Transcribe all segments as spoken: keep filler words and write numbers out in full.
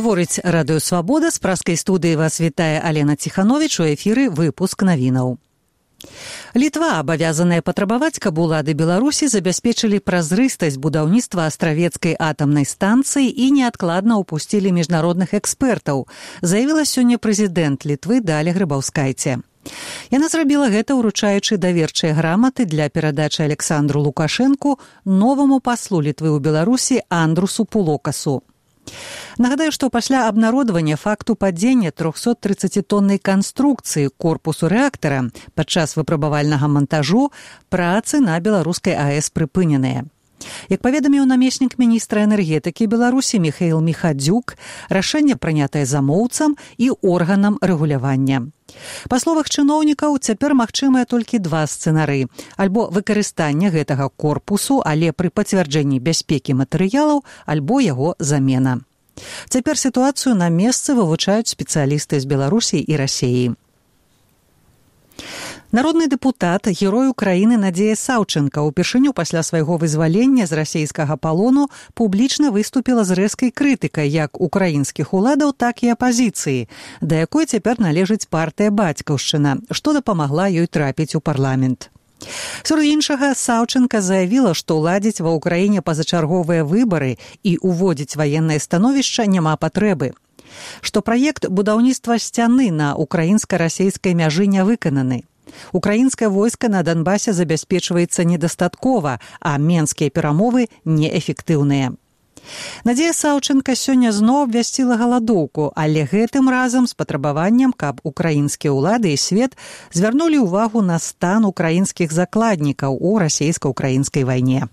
Гаворыць радыё «Свабода», з праскай студыі вас вітае Алена Ціхановіч, у эфіры выпуск навінаў. Літва абавязаная патрабаваць, каб улады Беларусі забяспечылі празрыстасць будаўніцтва астравецкай атамнай станцыі і неадкладна ўпусцілі міжнародных экспертаў, заявіла сёння прэзідэнт Літвы Даля Грыбаўскайце. Яна зрабіла гэта, уручаючы даверчыя граматы для перадачы Александру Лукашэнку новаму паслу Літвы ў Беларусі Андрусу Пулокасу. Нагадаю, што пасля абнародавання факту падзення трохсоттрыццацітоннай канструкцыі корпусу рэактара падчас выпрабавальнага мантажу працы на беларускай АЭС прыпыненыя. Як паведаміў намеснік міністра энергетыкі Беларусі Міхаіл Міхадзюк, рашэнне прынятае замоўцам і органам рэгулявання. Па словах чыноўнікаў, цяпер магчымыя толькі два сцэнары: альбо выкарыстанне гэтага корпусу, але пры пацвярджэнні бяспекі матэрыялаў, альбо яго замена. Цяпер сітуацыю на месцы вывучаюць спецыялісты з Беларусі і Расіі. Народны дэпутат, герой Украіны Надзея Саўчэнка упершыню пасля свайго вызвалення з расійскага палону публічна выступіла з рэзкай крытыкай як украінскіх уладаў, так і апазіцыі, да якой цяпер належыць партыя «Бацькаўшчына», што дапамагла ёй трапіць у парламент. Сярод іншага, Саўчэнка заявіла, што ладзіць ва ўкраіне пазачарговыя выбары і уводзіць ваеннае становішча няма патрэбы. Што праект будаўніцтва сцяны на украінска-расейскай мяжы не выкананы. Украінскае войска на Донбасе забяспечваецца недастаткова, а менскія перамовы неэфектыўныя. Надзея Саўчэнка сёння зноў абвясціла галадоўку, але гэтым разам з патрабаваннем, каб украінскія ўлады і свет звярнулі ўвагу на стан украінскіх закладнікаў у расейска-украінскай вайне.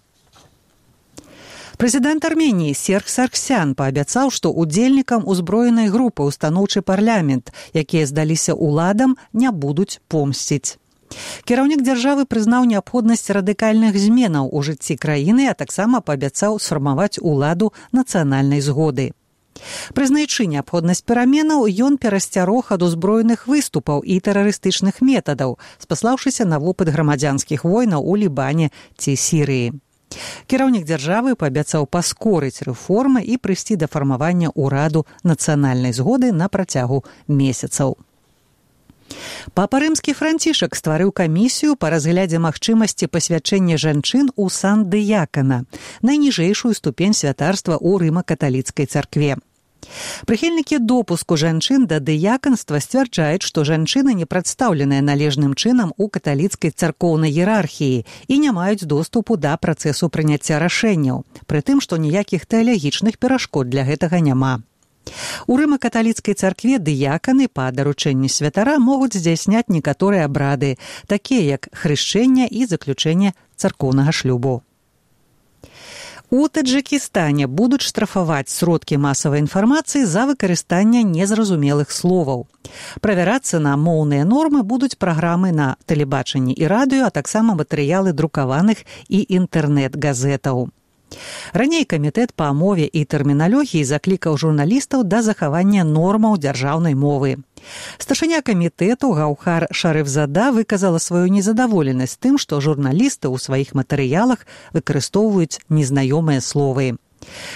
Прэзідэнт Арменіі Серж Саргсян паабяцаў, што удзельнікам узброенай групы ўстаноўчы парламент, якія здаліся ўладам, не будуць помсціць. Кіраўнік дзяржавы прызнаў неабходнасць радыкальных зменаў у жыцці краіны, а таксама паабяцаў сфармаваць уладу нацыянальнай згоды. Прызнаючы неабходнасць пераменаў, ён перасцярог ад узброеных выступаў і тэрарыстычных метадаў, спаслаўшыся на вопыт грамадзянскіх войнаў у Лібане ці Сірыі. Кіраўнік дзяржавы паабяцаў паскорыць рэформы і прыйсці да фармавання ўраду нацыянальнай згоды на працягу месяцаў. Папа Рымскі Францішак стварыў камісію па разглядзе магчымасці пасвячэння жанчын у сан дыякана, найніжэйшую ступень святарства ў рыма-каталіцкай царкве. Прыхільнікі допуску жанчын да дыяканства сцвярджаюць, што жанчыны не прадстаўленыя належным чынам у каталіцкай царкоўнай іерархіі і не маюць доступу да працэсу прыняцця рашэнняў, пры тым, што ніякіх тэалагічных перашкод для гэтага няма. У рыма-каталіцкай царкве дыяканы па даручэнні святара могуць здзяйсняць некаторыя абрады, такія як хрышчэнне і заключэнне царкоўнага шлюбу. У Таджыкістане будуць штрафаваць сродкі масавай інфармацыі за выкарыстанне незразумелых словаў. Правярацца на моўныя нормы будуць праграмы на тэлебачанні і радыё, а таксама матэрыялы друкаваных і інтэрнэт-газетаў. Раней камітэт па мове і тэрміналогіі заклікаў журналістаў да захавання нормаў дзяржаўнай мовы. Старшыня камітэту Гаўхар Шарыфзада выказала сваю незадаволенасць тым, што журналісты ў сваіх матэрыялах выкарыстоўваюць незнаёмыя словы.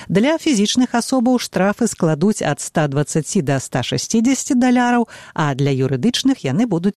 Для фізічных асобаў штрафы складуць ад ста дваццаці да ста шэсцідзесяці даляраў, а для юрыдычных яны будуць